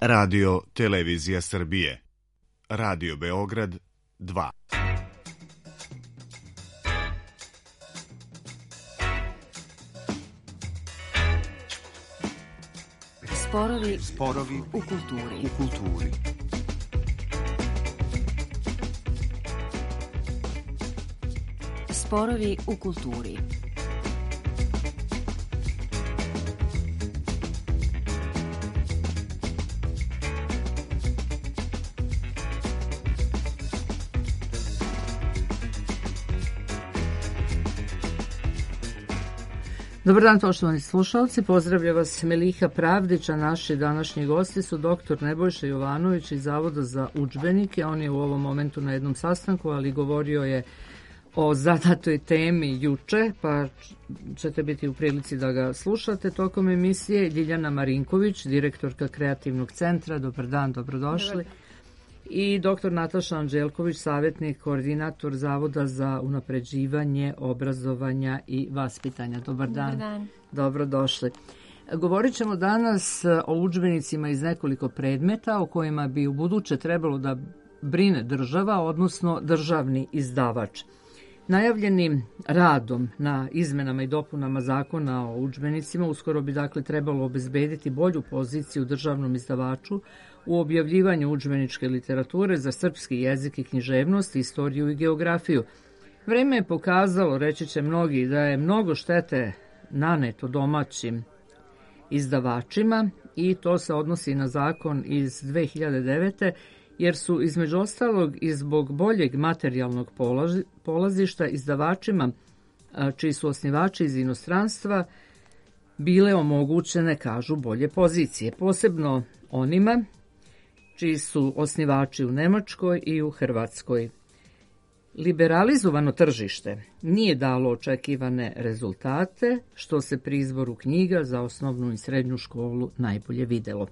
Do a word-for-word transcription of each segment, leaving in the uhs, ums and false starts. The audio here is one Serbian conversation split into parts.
Radio Televizija Srbije. Radio Beograd dva. Sporovi, sporovi u kulturi. U kulturi. Sporovi u kulturi. Dobar dan, poštovani slušalci, pozdravlja vas Meliha Pravdić, a naši današnji gosti su doktor Nebojša Jovanović iz Zavoda za udžbenike. On je u ovom momentu na jednom sastanku, ali govorio je o zadatoj temi juče, pa ćete biti u prilici da ga slušate tokom emisije. Ljiljana Marinković, direktorka Kreativnog centra. Dobar dan, dobrodošli. Dobar. I doktor Nataša Anđelković, savjetnik, koordinator Zavoda za unapređivanje obrazovanja i vaspitanja. Dobar dan. Dobar dan. Dobrodošli. Govorit ćemo danas o udžbenicima iz nekoliko predmeta o kojima bi u buduće trebalo da brine država, odnosno državni izdavač. Najavljenim radom na izmenama i dopunama zakona o udžbenicima uskoro bi dakle trebalo obezbediti bolju poziciju državnom izdavaču u objavljivanju udžbeničke literature za srpski jezik i književnost, istoriju i geografiju. Vreme je pokazalo, reći će mnogi, da je mnogo štete naneto domaćim izdavačima i to se odnosi na zakon iz dve hiljade devete. jer su između ostalog i zbog boljeg materijalnog polazišta izdavačima, čiji su osnivači iz inostranstva, bile omogućene, kažu, bolje pozicije, posebno onima čiji su osnivači u Nemačkoj i u Hrvatskoj. Liberalizovano tržište nije dalo očekivane rezultate, što se pri izboru knjiga za osnovnu i srednju školu najbolje videlo.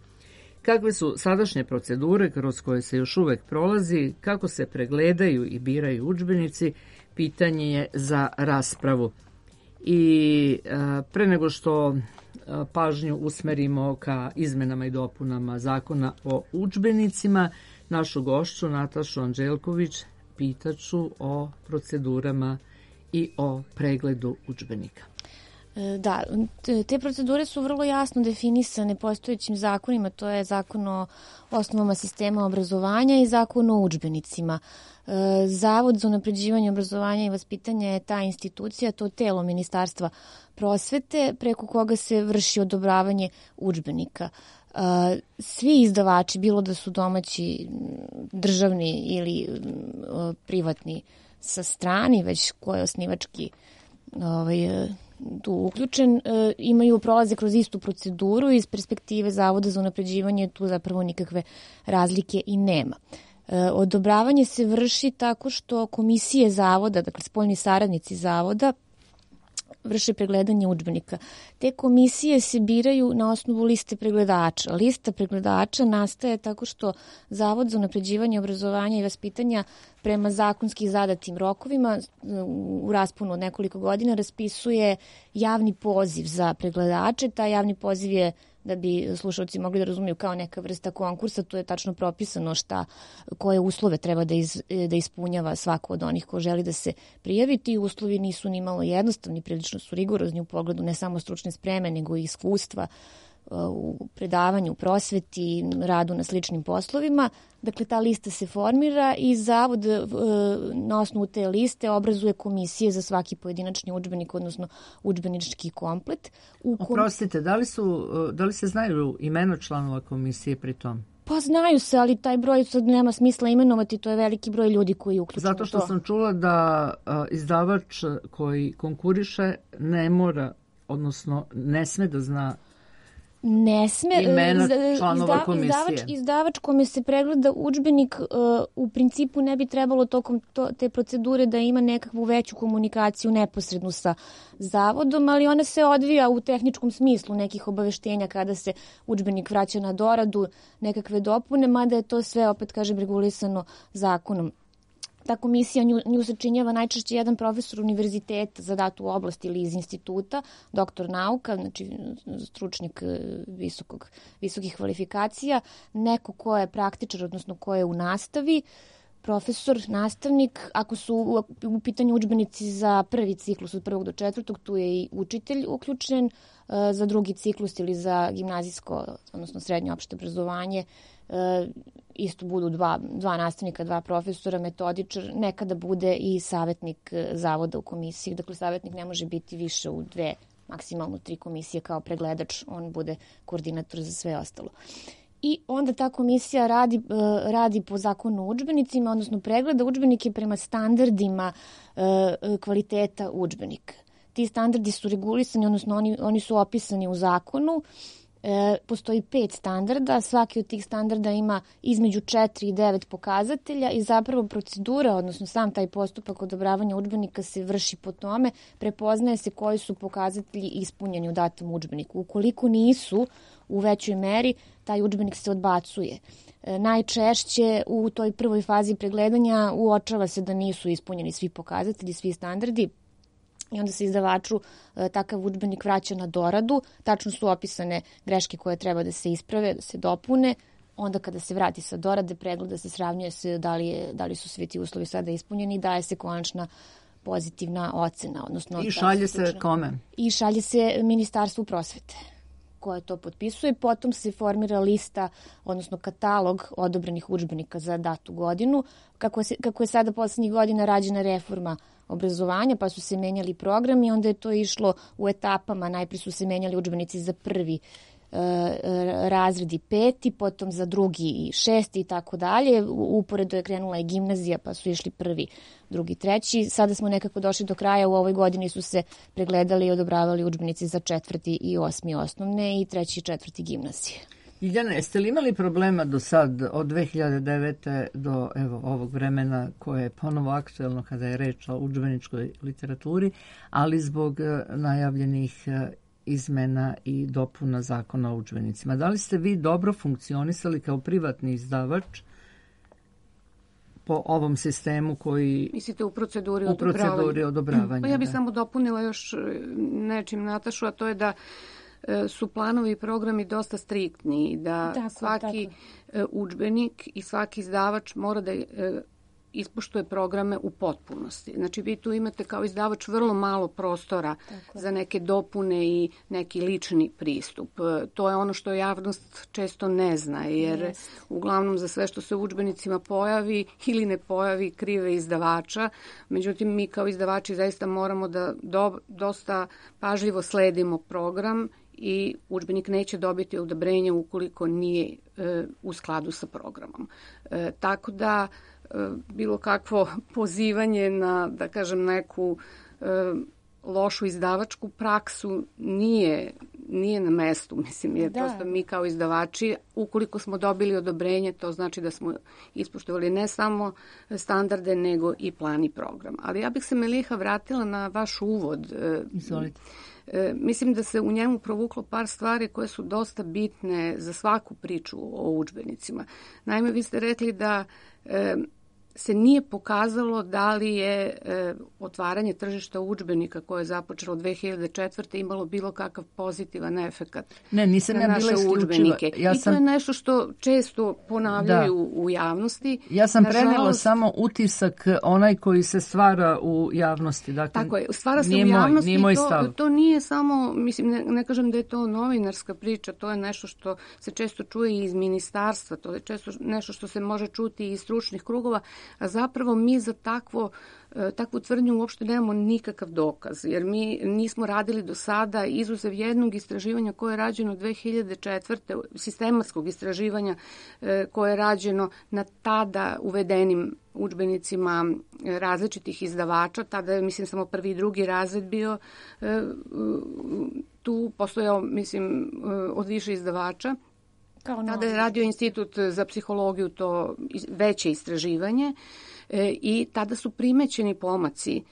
Kakve su sadašnje procedure kroz koje se još uvek prolazi, kako se pregledaju i biraju udžbenici, pitanje je za raspravu. I a, pre nego što a, pažnju usmerimo ka izmenama i dopunama zakona o udžbenicima, našu gošću Natašu Anđelković pitaću o procedurama i o pregledu udžbenika. Da, te procedure su vrlo jasno definisane postojećim zakonima, to je zakon o osnovama sistema obrazovanja i zakon o udžbenicima. Zavod za unapređivanje obrazovanja i vaspitanja je ta institucija, to telo Ministarstva prosvete preko koga se vrši odobravanje udžbenika. Svi izdavači, bilo da su domaći, državni ili privatni sa strani, već ko je osnivački ovaj, tu uključen, imaju prolaze kroz istu proceduru. Iz perspektive Zavoda za unapređivanje tu zapravo nikakve razlike i nema. Odobravanje se vrši tako što komisije zavoda, dakle spoljni saradnici zavoda, vrše pregledanje udžbenika. Te komisije se biraju na osnovu liste pregledača. Lista pregledača nastaje tako što Zavod za unapređivanje obrazovanja i vaspitanja prema zakonski zadatim rokovima u rasponu od nekoliko godina raspisuje javni poziv za pregledače. Taj javni poziv je, da bi slušalci mogli da razumiju, kao neka vrsta konkursa, to je tačno propisano šta, koje uslove treba da, iz, da ispunjava svako od onih ko želi da se prijavi. Ti uslovi nisu ni malo jednostavni, prilično su rigorozni u pogledu ne samo stručne spreme, nego i iskustva u predavanju, prosveti, radu na sličnim poslovima. Dakle, ta lista se formira i Zavod na osnovu te liste obrazuje komisije za svaki pojedinačni udžbenik, odnosno udžbenički komplet. U kom... Oprostite, da li, su, da li se znaju imena članova komisije pri tom? Pa znaju se, ali taj broj sad nema smisla imenovati, to je veliki broj ljudi koji je uključen. Zato što sam čula da a, izdavač koji konkuriše ne mora, odnosno ne sme da zna Ne sme, imena članova izda, komisije. Izdavač, izdavač kome se pregleda udžbenik uh, u principu ne bi trebalo tokom to, te procedure da ima nekakvu veću komunikaciju neposrednu sa zavodom, ali ona se odvija u tehničkom smislu nekih obaveštenja kada se udžbenik vraća na doradu, nekakve dopune, mada je to sve, opet kažem, regulisano zakonom. Ta komisija, nju, nju sačinjava najčešće jedan profesor univerziteta za datu oblast ili iz instituta, doktor nauka, znači stručnjak visokog, visokih kvalifikacija, neko ko je praktičar, odnosno ko je u nastavi, profesor, nastavnik. Ako su u, u pitanju udžbenici za prvi ciklus od prvog do četvrtog, tu je i učitelj uključen, za drugi ciklus ili za gimnazijsko, odnosno srednje opšte obrazovanje, isto budu dva, dva nastavnika, dva profesora, metodičar, nekada bude i savjetnik zavoda u komisiji. Dakle, savjetnik ne može biti više u dve, maksimalno tri komisije kao pregledač, on bude koordinator za sve ostalo. I onda ta komisija radi, radi po zakonu o udžbenicima, odnosno pregleda udžbenike prema standardima kvaliteta udžbenika. Ti standardi su regulisani, odnosno oni, oni su opisani u zakonu. E, postoji pet standarda, svaki od tih standarda ima između četiri i devet pokazatelja i zapravo procedura, odnosno sam taj postupak odobravanja udžbenika se vrši po tome, prepoznaje se koji su pokazatelji ispunjeni u datom udžbeniku. Ukoliko nisu u većoj meri, taj udžbenik se odbacuje. E, najčešće u toj prvoj fazi pregledanja uočava se da nisu ispunjeni svi pokazatelji, svi standardi, i onda se izdavaču e, takav udžbenik vraća na doradu, tačno su opisane greške koje treba da se isprave, da se dopune, onda kada se vrati sa dorade, pregleda se, sravnjuje se da li, je, da li su svi ti uslovi sada ispunjeni i daje se konačna pozitivna ocena. Odnosno, I šalje se kome? I šalje se Ministarstvu prosvete koje to potpisuje. Potom se formira lista, odnosno katalog odobrenih udžbenika za datu godinu. Kako je, kako je sada poslednjih godina rađena reforma obrazovanja, pa su se menjali programi, onda je to išlo u etapama. Najprije su se menjali udžbenici za prvi e, razred i peti, potom za drugi i šesti i tako dalje. Uporedo je krenula i gimnazija, pa su išli prvi, drugi, treći. Sada smo nekako došli do kraja. U ovoj godini su se pregledali i odobravali udžbenici za četvrti i osmi osnovne i treći i četvrti gimnazije. Ljiljana, jeste li imali problema do sad, od dve hiljade devete do evo, ovog vremena koje je ponovo aktuelno kada je reč o udžbeničkoj literaturi, ali zbog najavljenih izmena i dopuna zakona o udžbenicima? Da li ste vi dobro funkcionisali kao privatni izdavač po ovom sistemu koji... Mislite u proceduri u odobravanja? U proceduri odobravanja, pa ja bih da. samo dopunila još nečim Natašu, a to je da su planovi i programi dosta striktni, da tako, svaki tako. udžbenik i svaki izdavač mora da ispoštuje programe u potpunosti. Znači vi tu imate kao izdavač vrlo malo prostora tako. Za neke dopune i neki lični pristup. To je ono što javnost često ne zna, jer yes. uglavnom za sve što se u udžbenicima pojavi ili ne pojavi krive izdavača. Međutim, mi kao izdavači zaista moramo da do, dosta pažljivo sledimo program i udžbenik neće dobiti odobrenje ukoliko nije e, u skladu sa programom. E, tako da e, bilo kakvo pozivanje na, da kažem, neku e, lošu izdavačku praksu nije, nije na mestu, mislim, jer da. Prosto mi kao izdavači, ukoliko smo dobili odobrenje, to znači da smo ispoštovali ne samo standarde, nego i plan i program. Ali ja bih se, Meliha, vratila na vaš uvod. Izvolite. E, mislim da se u njemu provuklo par stvari koje su dosta bitne za svaku priču o udžbenicima. Naime, vi ste rekli da e, se nije pokazalo da li je e, otvaranje tržišta udžbenika koje je započelo dve hiljade četvrte imalo bilo kakav pozitivan efekat ne, nisam na ja naše bila udžbenike. Ja sam... I to je nešto što često ponavljaju da. U javnosti. Ja sam Nažalost, prenela samo utisak onaj koji se stvara u javnosti. Dakle, tako je, stvara se nije u javnosti. Moj, nije to, to nije samo, mislim, ne, ne kažem da je to novinarska priča, to je nešto što se često čuje i iz ministarstva, to je često nešto što se može čuti i iz stručnih krugova, a zapravo mi za takvo, takvu tvrdnju uopšte nemamo nikakav dokaz, jer mi nismo radili do sada, izuzev jednog istraživanja koje je rađeno dve hiljade četvrte, sistematskog istraživanja koje je rađeno na tada uvedenim udžbenicima različitih izdavača. Tada je, mislim, samo prvi i drugi razred bio tu, postojao, mislim, od više izdavača. Tada je radio Institut za psihologiju to veće istraživanje i tada su primećeni pomaci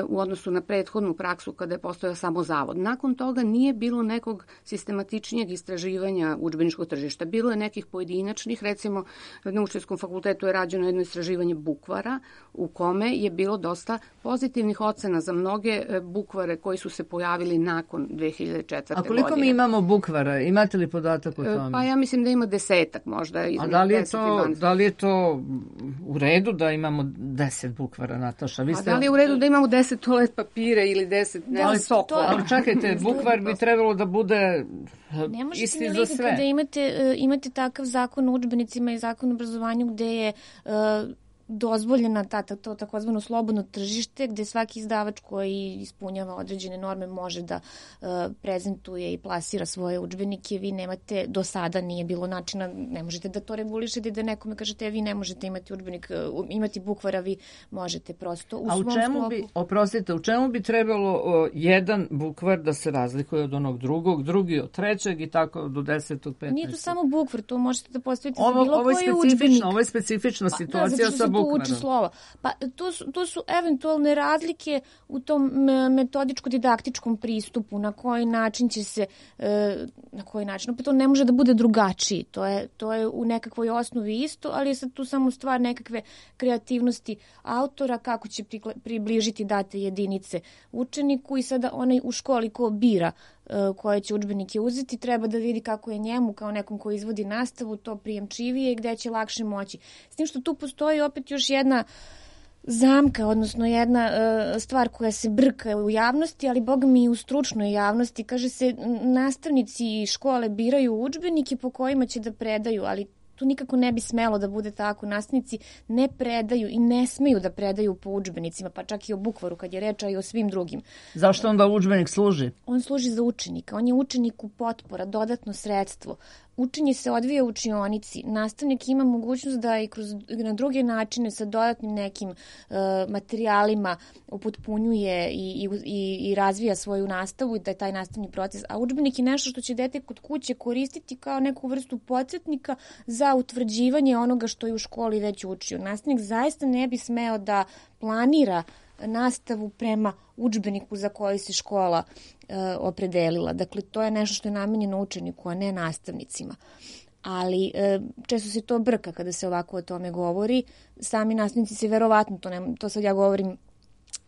u odnosu na prethodnu praksu kada je postojao samo zavod. Nakon toga nije bilo nekog sistematičnijeg istraživanja udžbeničkog tržišta. Bilo je nekih pojedinačnih, recimo na Učiteljskom fakultetu je rađeno jedno istraživanje bukvara u kome je bilo dosta pozitivnih ocena za mnoge bukvare koji su se pojavili nakon dve hiljade četvrte. A koliko godine. Mi imamo bukvara? Imate li podatak o tome? Pa ja mislim da ima desetak možda. A da li je to, da li je to u redu da imamo deset bukvara, Nataša? Vi ste... A da li je u redu da imamo deset toalet papira ili deset ne, sokova? Ali čekajte, bukvar bi trebalo da bude ne možete isti mi za lika sve. Kada imate, imate takav zakon o udžbenicima i zakon o obrazovanju gde je uh, dozvoljena ta, ta, to takozvano slobodno tržište gde svaki izdavač koji ispunjava određene norme može da uh, prezentuje i plasira svoje udžbenike. Vi nemate, do sada nije bilo načina, ne možete da to regulišete, da nekome kažete vi ne možete imati udžbenik, uh, imati bukvara, vi možete prosto u A u svom čemu sklopu. bi, oprostite, u čemu bi trebalo uh, jedan bukvar da se razlikuje od onog drugog, drugi od trećeg i tako do desetog, petnaestog? Nije to samo bukvar, to možete da postavite ovo, za bilo ovo je koji udžbenik. Ovo je specifična situacija pa, da, sa bukvarom. Uči slova. Pa to su, to su eventualne razlike u tom metodičko-didaktičkom pristupu, na koji način će se, na koji način, opet to ne može da bude drugačiji, to je, to je u nekakvoj osnovi isto, ali je sad tu samo stvar nekakve kreativnosti autora, kako će približiti date jedinice učeniku i sada onaj u školi ko bira koje će udžbenike uzeti, treba da vidi kako je njemu, kao nekom koji izvodi nastavu, to prijemčivije i gde će lakše moći. S tim što tu postoji opet još jedna zamka, odnosno jedna uh, stvar koja se brka u javnosti, ali boga mi i u stručnoj javnosti. Kaže se, nastavnici škole biraju udžbenike po kojima će da predaju, ali tu nikako ne bi smelo da bude tako. Nastavnici ne predaju i ne smeju da predaju po udžbenicima, pa čak i o bukvaru kad je reč, a i o svim drugim. Zašto onda udžbenik služi? On služi za učenika. On je učeniku potpora, dodatno sredstvo. Učenje se odvija u učionici. Nastavnik ima mogućnost da i kroz, na druge načine sa dodatnim nekim uh, materijalima upotpunjuje i, i, i razvija svoju nastavu i da je taj nastavni proces. A udžbenik je nešto što će dete kod kuće koristiti kao neku vrstu podsjetnika za utvrđivanje onoga što je u školi već učio. Nastavnik zaista ne bi smeo da planira nastavu prema udžbeniku za koji se škola e, opredelila. Dakle, to je nešto što je namenjeno učeniku, a ne nastavnicima. Ali e, često se to brka kada se ovako o tome govori. Sami nastavnici se verovatno, to, ne, to sad ja govorim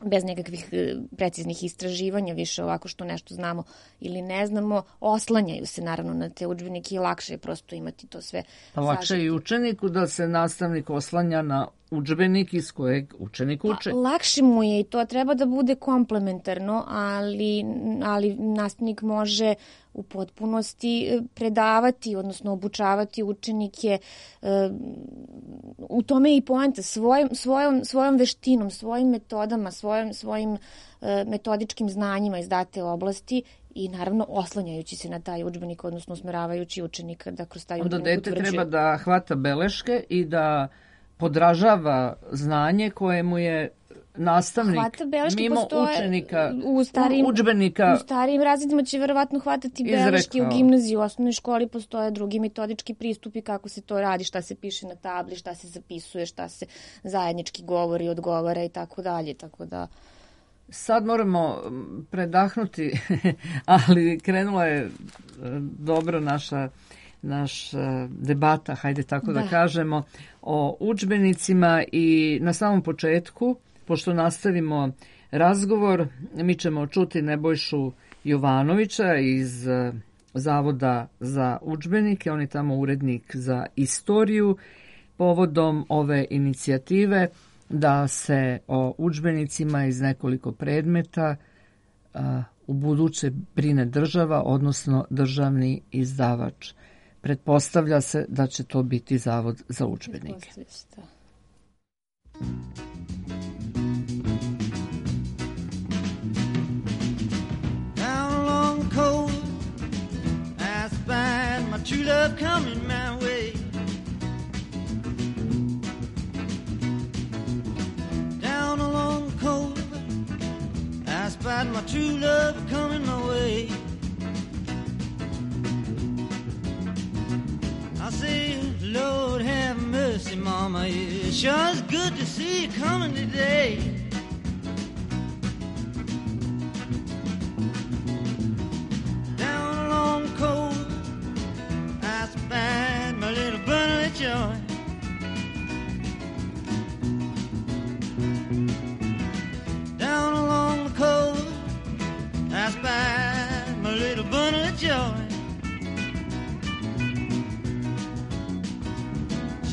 bez nekakvih preciznih istraživanja, više ovako što nešto znamo ili ne znamo, oslanjaju se naravno na te udžbenike i lakše je prosto imati to sve. Pa lakše je i učeniku da se nastavnik oslanja na udžbenik iz kojeg učenik uče. Pa, lakše mu je i to treba da bude komplementarno, ali, ali nastavnik može u potpunosti predavati, odnosno obučavati učenike. U tome je i poenta, svojom, svojom, svojom veštinom, svojim metodama, svojim, svojim metodičkim znanjima iz date oblasti i naravno oslanjajući se na taj udžbenik, odnosno usmeravajući učenika da kroz taj udžbenik utvrđuje. Onda dete treba da hvata beleške i da podražava znanje koje mu je nastavnik mimo postoje, učenika, u starijim, udžbenika u starijim razredima će verovatno hvatati beleške. Izrekao. U gimnaziji, u osnovnoj školi postoje drugi metodički pristupi kako se to radi, šta se piše na tabli, šta se zapisuje, šta se zajednički govori, odgovara i tako dalje, tako da... Sad moramo predahnuti, ali krenula je dobro naša naš debata, hajde tako da. da kažemo, o udžbenicima i na samom početku, pošto nastavimo razgovor, mi ćemo čuti Nebojšu Jovanovića iz Zavoda za udžbenike, on je tamo urednik za istoriju, povodom ove inicijative da se o udžbenicima iz nekoliko predmeta a, u buduće brine država, odnosno državni izdavač. Pretpostavlja se da će to biti Zavod za udžbenike. Down along the coast, I spied my true love coming my way. Down along the coast, I spied my true love coming my way. I say, Lord have mercy, Mama, it sure is good to see you coming today.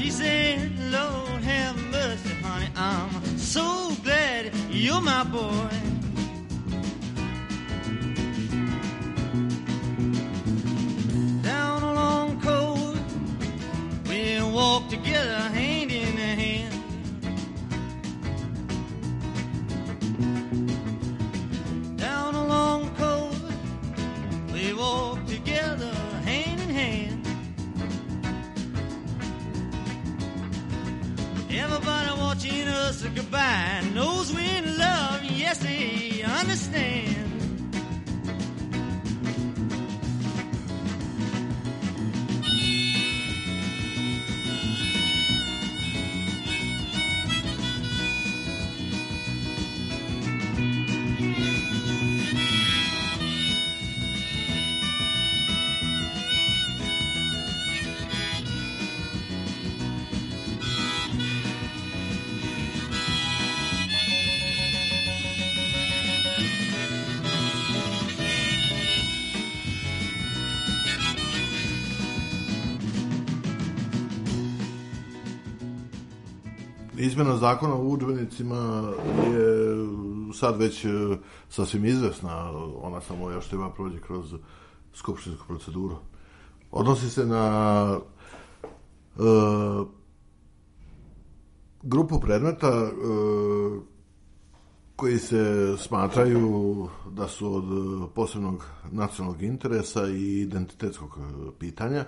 She said, Lord have mercy, honey, I'm so glad you're my boy. Down along coast, we walk together hand in hand. Down along coast, we walk together hand in hand. Everybody watching us goodbye knows we're in love, yes, they understand. Izmjena zakona o udžbenicima je sad već sasvim izvesna, ona samo još treba prođe kroz skupštinsku proceduru. Odnosi se na e, grupu predmeta e, koji se smatraju da su od posebnog nacionalnog interesa i identitetskog pitanja,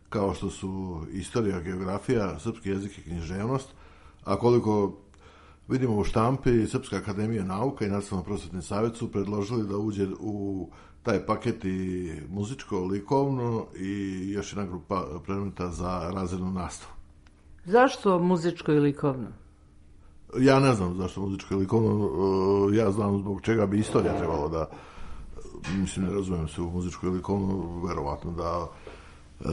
kao što su istorija, geografija, srpski jezik i književnost. A koliko vidimo u štampi, Srpska akademija nauka i Nacionalno prosvetni savjet su predložili da uđe u taj paket i muzičko, likovno i još jedna grupa predmeta za razrednu nastavu. Zašto muzičko i likovno? Ja ne znam zašto muzičko i likovno. Ja znam zbog čega bi istorija trebalo da, mislim, ne razumijem se u muzičko i likovno, verovatno da Uh,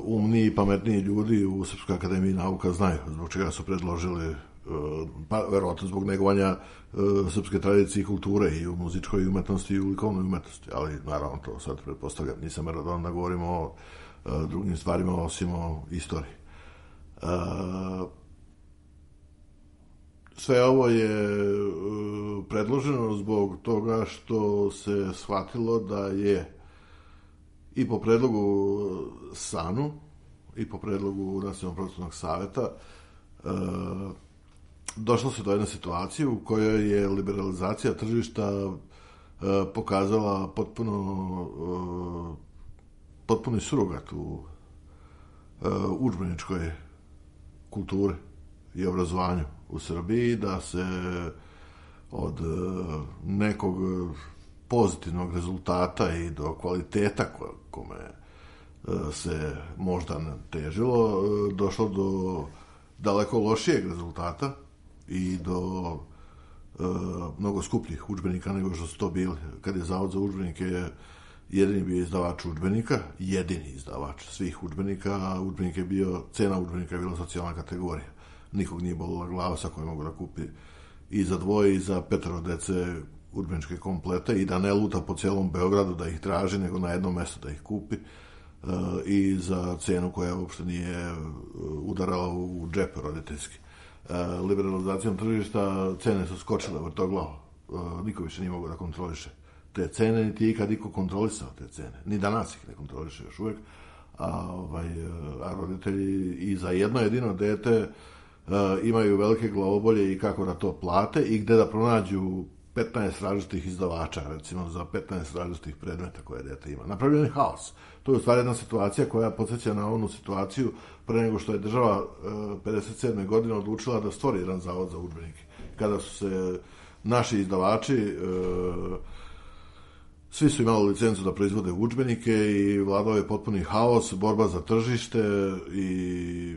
umniji i pametniji ljudi u Srpskoj akademiji nauka znaju zbog čega su predložili, uh, pa verovatno zbog negovanja uh, srpske tradicije i kulture i u muzičkoj umetnosti i u likovnoj umetnosti, ali naravno to sad pretpostavljam, nisam meradovan da govorimo o uh, drugim stvarima osim o istoriji. Uh, sve ovo je uh, predloženo zbog toga što se shvatilo da je i po predlogu SANU i po predlogu Nacionalnog prosvetnog saveta e, došlo se do jedne situacije u kojoj je liberalizacija tržišta e, pokazala potpuno e, potpuni surogat u e, udžbeničkoj kulturi i obrazovanju u Srbiji, da se od e, nekog pozitivnog rezultata i do kvaliteta kome se možda težilo, došlo do daleko lošijeg rezultata i do e, mnogo skupljih udžbenika nego što su to bili. Kad je Zavod za udžbenike jedini bio izdavač udžbenika, jedini izdavač svih udžbenika, a udžbenik je bio, cena udžbenika je bila socijalna kategorija. Nikog nije bolila glava sa kojom mogu da kupi i za dvoje i za petero dece udžbeničke komplete i da ne luta po cijelom Beogradu da ih traži, nego na jednom mjestu da ih kupi uh, i za cenu koja uopšte nije udarala u džep roditeljski. Uh, liberalizacijom tržišta cene su skočile vrtoglavo. Uh, niko više nije mogo da kontroliše te cene, niti ikad niko kontrolisao te cene. Ni danas ih ne kontroliše još uvijek. A, ovaj, a roditelji i za jedno jedino dete uh, imaju velike glavobolje i kako da to plate i gde da pronađu petnaest različitih izdavača, recimo za petnaest različitih predmeta koje dete ima. Napravljen je haos. To je u stvari jedna situacija koja podsjeća na onu situaciju pre nego što je država pedeset sedme godine odlučila da stvori jedan zavod za udžbenike. Kada su se naši izdavači, svi su imali licencu da proizvode udžbenike i vladao je potpuni haos, borba za tržište i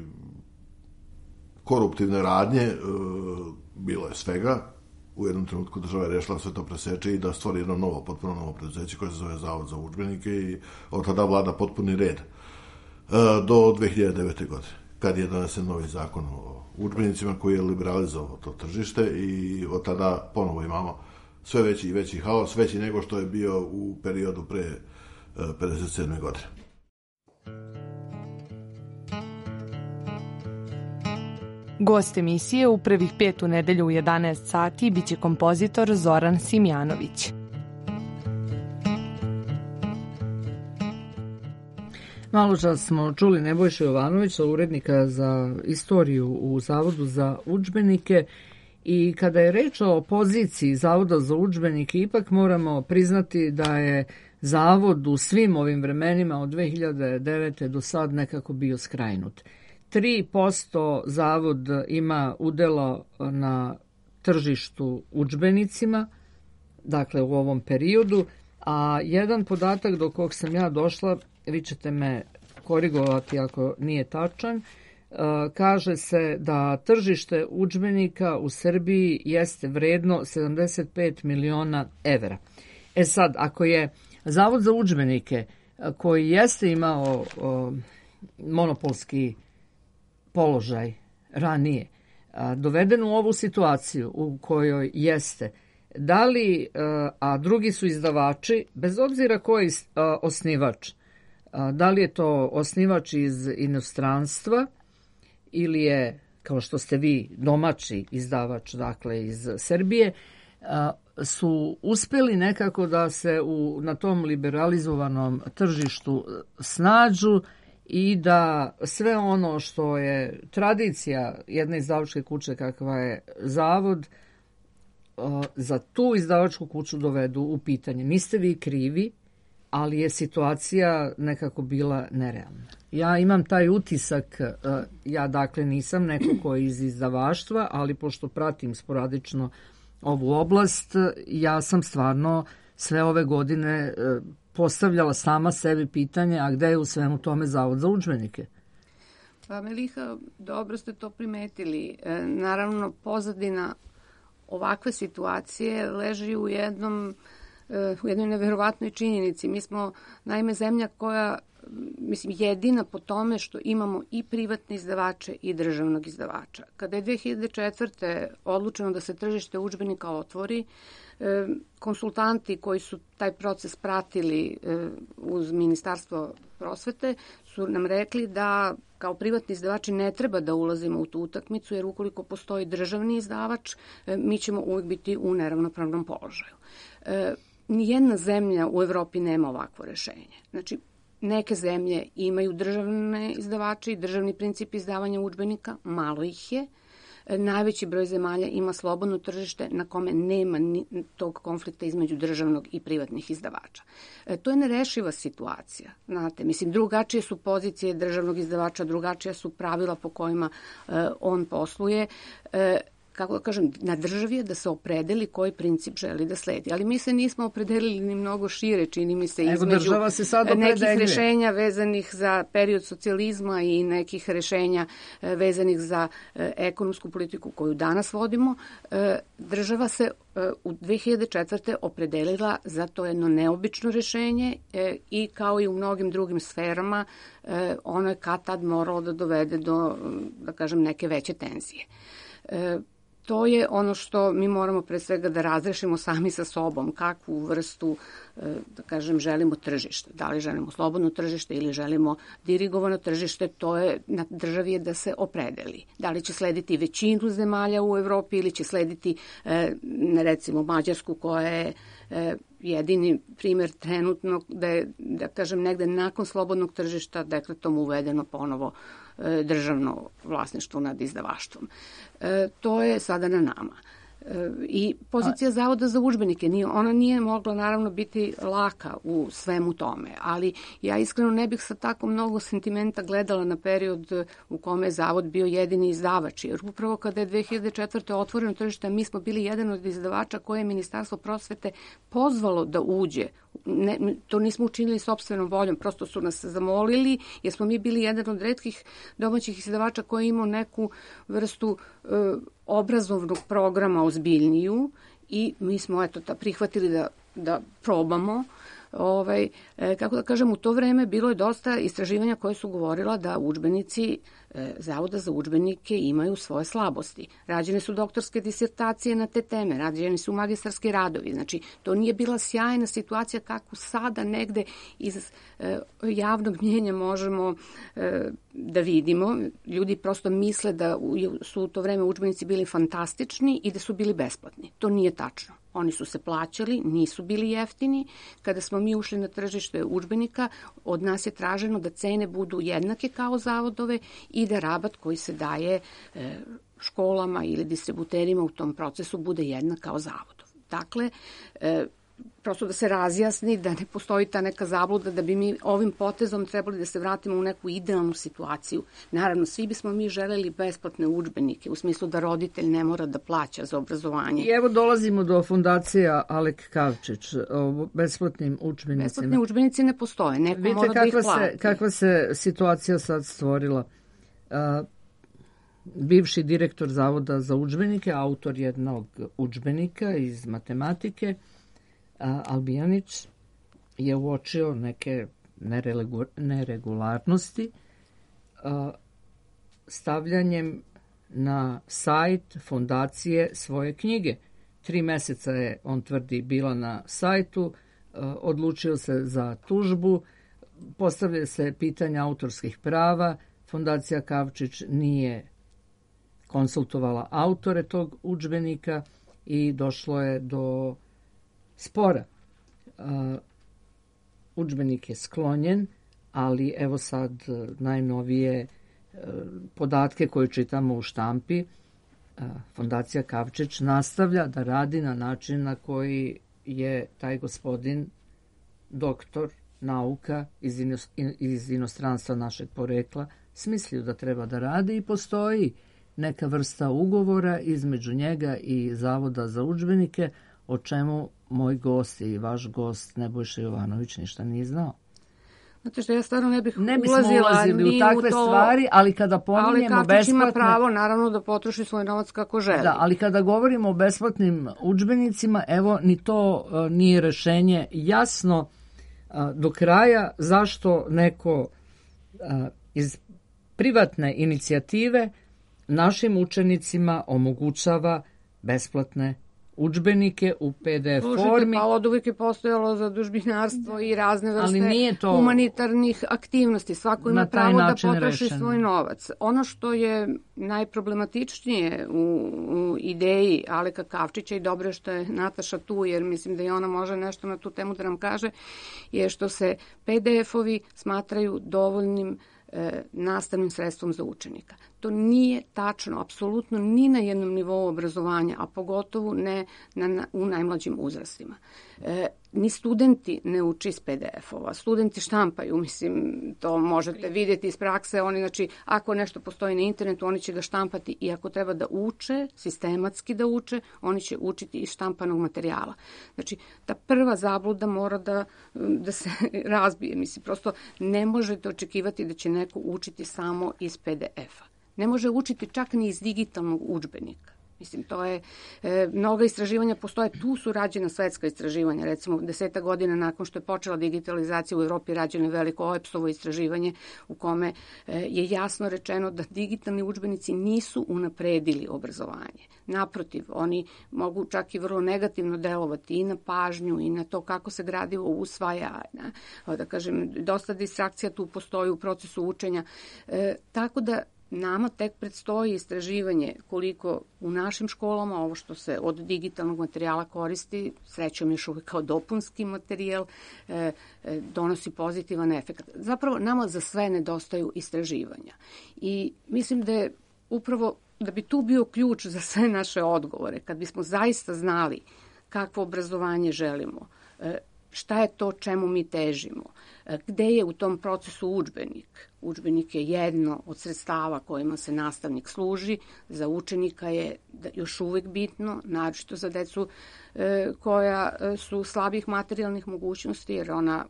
koruptivne radnje, bilo je svega. U jednom trenutku država je rešila sve to preseče i da stvori jedno novo, potpuno novo preduzeće koje se zove Zavod za udžbenike i od tada vlada potpuni red do dve hiljade devete. godine, kad je donesen novi zakon o udžbenicima koji je liberalizovao to tržište i od tada ponovo imamo sve veći i veći haos, veći nego što je bio u periodu pre pedeset sedme. godine. Gost emisije u prvih pet u nedelju u jedanaest sati biće kompozitor Zoran Simjanović. Malo čas smo čuli Nebojšu Jovanovića, urednika za istoriju u Zavodu za udžbenike, i kada je reč o poziciji Zavoda za udžbenike, ipak moramo priznati da je Zavod u svim ovim vremenima od dve hiljade devete do sad nekako bio skrajnut. tri posto Zavod ima udjela na tržištu udžbenicima, dakle u ovom periodu, a jedan podatak do kog sam ja došla, vi ćete me korigovati ako nije tačan, kaže se da tržište udžbenika u Srbiji jeste vredno sedamdeset pet miliona evra. E sad, ako je Zavod za udžbenike, koji jeste imao o, monopolski položaj ranije, a, doveden u ovu situaciju u kojoj jeste, da li, a, a drugi su izdavači, bez obzira koji a, osnivač, a, da li je to osnivač iz inostranstva ili je, kao što ste vi, domaći izdavač, dakle iz Srbije, a, su uspjeli nekako da se u, na tom liberalizovanom tržištu snađu i da sve ono što je tradicija jedne izdavačke kuće kakva je Zavod, za tu izdavačku kuću dovedu u pitanje. Niste vi krivi, ali je situacija nekako bila nerealna. Ja imam taj utisak, ja dakle nisam neko ko je iz izdavaštva, ali pošto pratim sporadično ovu oblast, ja sam stvarno sve ove godine postavljala sama sebi pitanje, a gde je u svemu tome Zavod za udžbenike? Pa Meliha, dobro ste to primetili. E, naravno, pozadina ovakve situacije leži u jednom e, u jednoj neverovatnoj činjenici. Mi smo, naime, zemlja koja, mislim, jedina po tome što imamo i privatne izdavače i državnog izdavača. Kada je dve hiljade četvrte odlučeno da se tržište udžbenika otvori, konsultanti koji su taj proces pratili uz Ministarstvo prosvete su nam rekli da kao privatni izdavači ne treba da ulazimo u tu utakmicu, jer ukoliko postoji državni izdavač, mi ćemo uvijek biti u neravnopravnom položaju. Nijedna zemlja u Evropi nema ovakvo rešenje. Znači, neke zemlje imaju državne izdavače i državni princip izdavanja udžbenika, malo ih je. Najveći broj zemalja ima slobodno tržište na kome nema tog konflikta između državnog i privatnih izdavača. E, to je nerešiva situacija. Znate, mislim, drugačije su pozicije državnog izdavača, drugačija su pravila po kojima e, on posluje. E, kako da kažem, na državi je da se opredeli koji princip želi da sledi. Ali mi se nismo opredelili ni mnogo šire, čini mi se, između se nekih rešenja vezanih za period socijalizma i nekih rešenja vezanih za ekonomsku politiku koju danas vodimo. Država se u dve hiljade četvrte opredelila za to jedno neobično rešenje i kao i u mnogim drugim sferama ono je kad tad moralo da dovede do, da kažem, neke veće tenzije. To je ono što mi moramo pre svega da razrešimo sami sa sobom, kakvu vrstu, da kažem, želimo tržište. Da li želimo slobodno tržište ili želimo dirigovano tržište, to je na državi da se opredeli. Da li će slediti većinu zemalja u Evropi ili će slediti, recimo, Mađarsku koja je jedini primjer trenutno da je, da kažem, negde nakon slobodnog tržišta dekretom uvedeno ponovo državno vlasništvo nad izdavaštvom. E, to je sada na nama. E, I pozicija Zavoda za udžbenike, nije, ona nije mogla naravno biti laka u svemu tome, ali ja iskreno ne bih sa tako mnogo sentimenta gledala na period u kome je Zavod bio jedini izdavač, jer upravo kada je dve hiljade četvrte otvoreno tržište, mi smo bili jedan od izdavača koje je Ministarstvo prosvete pozvalo da uđe. Ne, to nismo učinili sopstvenom voljom, prosto su nas zamolili, jer smo mi bili jedan od retkih domaćih izdavača koji je imao neku vrstu e, obrazovnog programa ozbiljniju i mi smo eto, ta, prihvatili da, da probamo. ovaj, kako da kažem, u to vreme bilo je dosta istraživanja koje su govorila da udžbenici Zavoda za udžbenike imaju svoje slabosti. Rađene su doktorske disertacije na te teme, rađeni su magistarski radovi. Znači, to nije bila sjajna situacija kako sada negde iz e, javnog mnjenja možemo e, da vidimo. Ljudi prosto misle da su u to vreme udžbenici bili fantastični i da su bili besplatni. To nije tačno. Oni su se plaćali, nisu bili jeftini. Kada smo mi ušli na tržište udžbenika, od nas je traženo da cene budu jednake kao zavodove i da rabat koji se daje e, školama ili distributerima u tom procesu bude jednak kao zavodov. Dakle, e, prosto da se razjasni da ne postoji ta neka zabluda da bi mi ovim potezom trebali da se vratimo u neku idealnu situaciju. Naravno, svi bismo mi želeli besplatne udžbenike, u smislu da roditelj ne mora da plaća za obrazovanje. I evo dolazimo do fondacija Alek Kavčić o besplatnim udžbenicima. Besplatni udžbenici ne postoje, neko Vidite mora da ih plati. Se, kakva se situacija sad stvorila. Uh, bivši direktor Zavoda za udžbenike, autor jednog udžbenika iz matematike, Albijanić, je uočio neke neregularnosti stavljanjem na sajt fondacije svoje knjige. Tri meseca je, on tvrdi, bila na sajtu, odlučio se za tužbu, postavlja se pitanja autorskih prava, fondacija Kavčić nije konsultovala autore tog udžbenika i došlo je do spora. Uh, udžbenik je sklonjen, ali evo sad najnovije uh, podatke koje čitamo u štampi. Uh, Fondacija Kavčić nastavlja da radi na način na koji je taj gospodin doktor nauka iz, inos, iz inostranstva našeg porekla smislio da treba da radi i postoji neka vrsta ugovora između njega i Zavoda za udžbenike, o čemu moj gost i vaš gost Nebojša Jovanović ništa nije znao. Znate što, ja stvarno ne bih ne ulazila ulazili u takve u to, stvari, ali kada pominjemo besplatne... Ali Kavčić ima pravo, naravno, da potroši svoj novac kako želi. Da, ali kada govorimo o besplatnim udžbenicima, evo, ni to uh, nije rešenje jasno uh, do kraja zašto neko uh, iz privatne inicijative našim učenicima omogućava besplatne udžbenike u pe de ef Slušajte, formi. Pa od uvijek je postojalo zadužbinarstvo i razne vrste to humanitarnih aktivnosti. Svako ima pravo da potroši rešeno. svoj novac. Ono što je najproblematičnije u, u ideji Aleka Kavčića, i dobro je što je Nataša tu, jer mislim da i ona može nešto na tu temu da nam kaže, je što se pe de efovi smatraju dovoljnim e, nastavnim sredstvom za učenika. To nije tačno, apsolutno ni na jednom nivou obrazovanja, a pogotovo ne na, na, u najmlađim uzrastima. E, ni studenti ne uči iz pe de efova. Studenti štampaju, mislim, to možete vidjeti iz prakse. Oni, znači, ako nešto postoji na internetu, oni će ga štampati, i ako treba da uče, sistematski da uče, oni će učiti iz štampanog materijala. Znači, ta prva zabluda mora da, da se razbije. Mislim, prosto ne možete očekivati da će neko učiti samo iz pe de efa. Ne može učiti čak ni iz digitalnog udžbenika. Mislim, to je, e, mnoga istraživanja postoje, tu su rađena svetska istraživanja, recimo deseta godina nakon što je počela digitalizacija u Evropi rađeno je veliko O E P S-ovo istraživanje u kome e, je jasno rečeno da digitalni udžbenici nisu unapredili obrazovanje. Naprotiv, oni mogu čak i vrlo negativno delovati i na pažnju i na to kako se gradivo usvaja, na, da kažem, dosta distrakcija tu postoji u procesu učenja, e, tako da nama tek predstoji istraživanje koliko u našim školama ovo što se od digitalnog materijala koristi, srećom još uvijek kao dopunski materijal, e, e, donosi pozitivan efekt. Zapravo nama za sve nedostaju istraživanja. I mislim da je upravo, da bi tu bio ključ za sve naše odgovore, kad bismo zaista znali kakvo obrazovanje želimo, e, šta je to čemu mi težimo, gde je u tom procesu udžbenik. Udžbenik je jedno od sredstava kojima se nastavnik služi, za učenika je još uvijek bitno, naročito za decu e, koja su slabih materijalnih mogućnosti, jer ona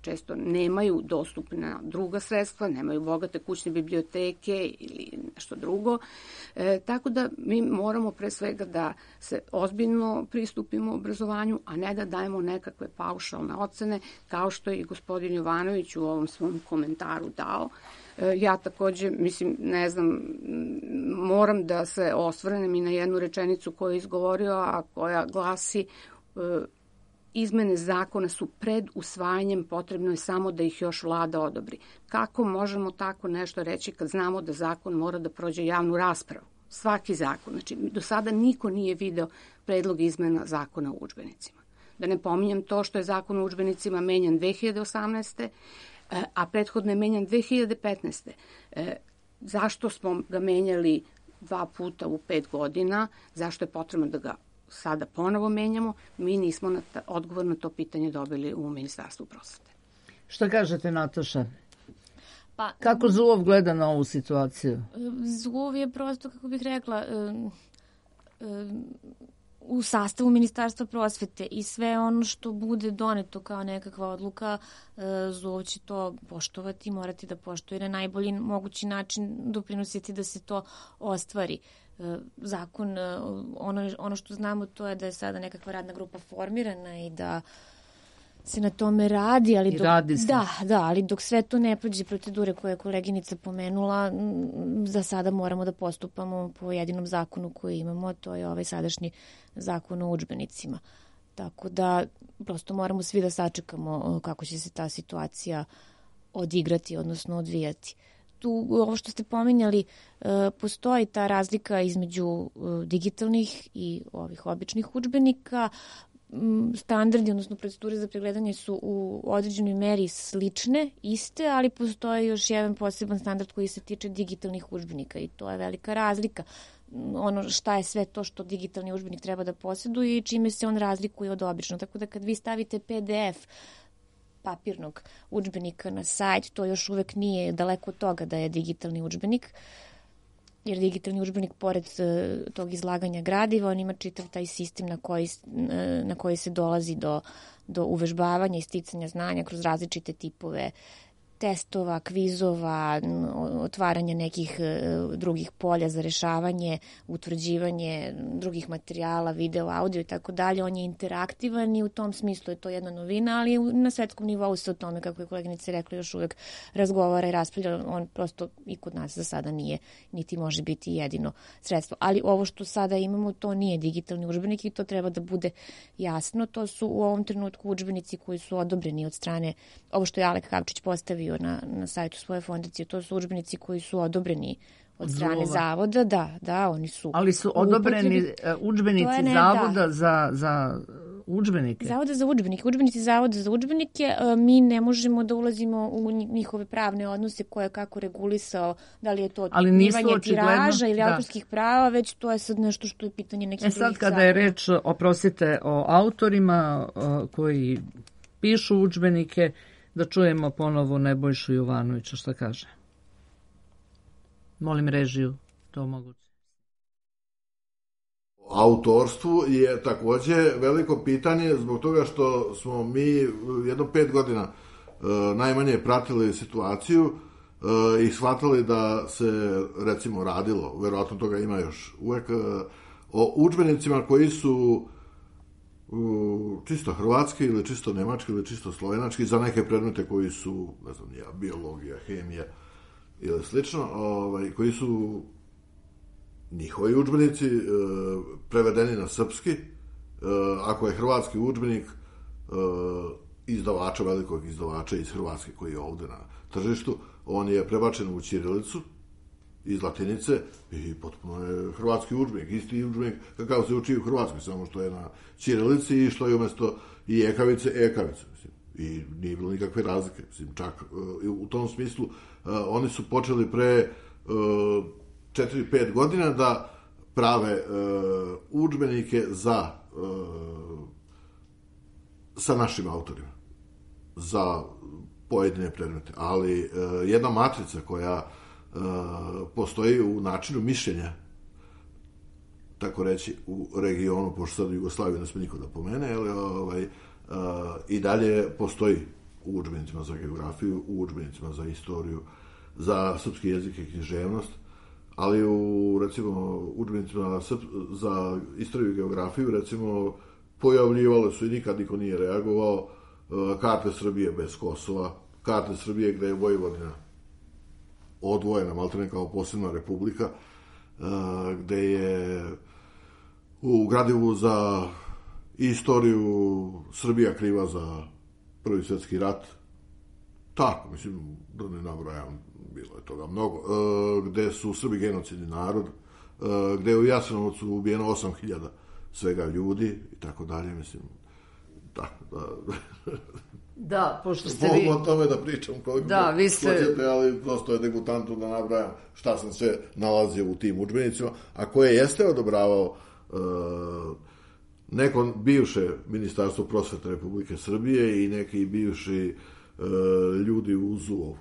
često nemaju dostupna druga sredstva, nemaju bogate kućne biblioteke ili nešto drugo. E, tako da mi moramo pre svega da se ozbiljno pristupimo obrazovanju, a ne da dajemo nekakve paušalne ocene, kao što je i gospodin Jovanović u ovom svom komentaru dao. E, ja takođe, mislim, ne znam, moram da se osvrnem i na jednu rečenicu koju je izgovorio, a koja glasi e, izmene zakona su pred usvajanjem, potrebno je samo da ih još vlada odobri. Kako možemo tako nešto reći kad znamo da zakon mora da prođe javnu raspravu? Svaki zakon. Znači, do sada niko nije video predlog izmena zakona o udžbenicima. Da ne pominjem to što je zakon o udžbenicima menjan dve hiljade osamnaeste. a prethodno je menjan dve hiljade petnaeste. Zašto smo ga menjali dva puta u pet godina? Zašto je potrebno da ga sada ponovo menjamo? Mi nismo na ta, odgovor na to pitanje dobili u Ministarstvu prosvete. Šta kažete, Nataša? Pa, kako Zulov gleda na ovu situaciju? Zulov je prosto, kako bih rekla, um, um, u sastavu Ministarstva prosvete i sve ono što bude doneto kao nekakva odluka, Zulov će to poštovati, morati da poštuje na najbolji mogući način, doprinositi da se to ostvari. Zakon, ono, ono što znamo to je da je sada nekakva radna grupa formirana i da se na tome radi, ali dok, radi se. Da, da, ali dok sve to ne prođe procedure koje je koleginica pomenula, za sada moramo da postupamo po jedinom zakonu koji imamo, to je ovaj sadašnji zakon o udžbenicima. Tako da prosto moramo svi da sačekamo kako će se ta situacija odigrati, odnosno odvijati. Tu, ovo što ste pominjali, postoji ta razlika između digitalnih i ovih običnih udžbenika. Standardi, odnosno procedure za pregledanje su u određenoj meri slične, iste, ali postoji još jedan poseban standard koji se tiče digitalnih udžbenika i to je velika razlika. Ono šta je sve to što digitalni udžbenik treba da posjeduje i čime se on razlikuje od obično. Tako da kad vi stavite P D F papirnog udžbenika na sajt, to još uvek nije daleko od toga da je digitalni udžbenik, jer digitalni udžbenik, pored uh, tog izlaganja gradiva, on ima čitav taj sistem na koji, uh, na koji se dolazi do, do uvežbavanja i sticanja znanja kroz različite tipove testova, kvizova, otvaranja nekih uh, drugih polja za rešavanje, utvrđivanje drugih materijala, video, audio i tako dalje. On je interaktivan i u tom smislu je to jedna novina, ali na svetskom nivou se o tome, kako je koleginica rekla, još uvek razgovara i raspravlja. On prosto i kod nas za sada nije, niti može biti jedino sredstvo. Ali ovo što sada imamo, to nije digitalni udžbenik i to treba da bude jasno. To su u ovom trenutku udžbenici koji su odobreni od strane, ovo što je Alek Kavčić postavio Na, na sajtu svoje fondacije, to su udžbenici koji su odobreni od strane Zulova. Zavoda, da, da, oni su. Ali su odobreni udžbenici ne, Zavoda da. za, za udžbenike? Zavoda za udžbenike, udžbenici Zavoda za udžbenike, mi ne možemo da ulazimo u njihove pravne odnose koje je kako regulisao, da li je to otkrivanje tiraža ili da. autorskih prava, već to je sad nešto što je pitanje nekih drugih zakona. E sad kada je reč, oprostite, o autorima koji pišu udžbenike, da čujemo ponovo Nebojšu Jovanovića, šta kaže. Molim režiju, to moguće. Autorstvu je takođe veliko pitanje zbog toga što smo mi jedno pet godina e, najmanje pratili situaciju e, i shvatili da se recimo radilo, verovatno toga ima još uvek, e, o udžbenicima koji su čisto hrvatski ili čisto nemački ili čisto slovenački za neke predmete koji su, ne znam, ja, biologija, hemija ili slično, ovaj, koji su njihovi udžbenici e, prevedeni na srpski. E, ako je hrvatski udžbenik e, izdavača, velikog izdavača iz Hrvatske koji je ovde na tržištu, on je prebačen u ćirilicu iz latinice i potpuno je hrvatski udžbenik, isti udžbenik kakav se uči u Hrvatskoj, samo što je na ćirilici i što je umesto i ekavice, ekavice. Mislim. I nije bilo nikakve razlike. Mislim, čak u tom smislu oni su počeli pre četiri pet godina da prave udžbenike za sa našim autorima za pojedine predmete. Ali jedna matrica koja Uh, postoji u načinu mišljenja, tako reći, u regionu, pošto sad u Jugoslaviji ne sme niko da pomene, ali ovaj, uh, i dalje postoji u udžbenicima za geografiju, u udžbenicima za istoriju, za srpski jezik i književnost, ali u, recimo, udžbenicima za istoriju i geografiju, recimo, pojavljivale su i nikad niko nije reagovao karte Srbije bez Kosova, karte Srbije gde je Vojvodina odvojena, maltene kao posebna republika, gde je u gradivu za istoriju Srbija kriva za Prvi svjetski rat. Tako, mislim, da ne nabrajam, bilo je toga mnogo. Gde su Srbi genocidni narod, gde je u Jasenovcu ubijeno osam hiljada svega ljudi i tako dalje, mislim, da, da. Da, pošto ste vi... Mogu o tome da pričam koliko da, vi ste... hoćete, ali prosto je degutantno da nabrajam šta sam sve nalazio u tim udžbenicima, a koje jeste odobravao uh, neko bivše Ministarstvo prosvete Republike Srbije i neki bivši uh, ljudi u Z U O-u.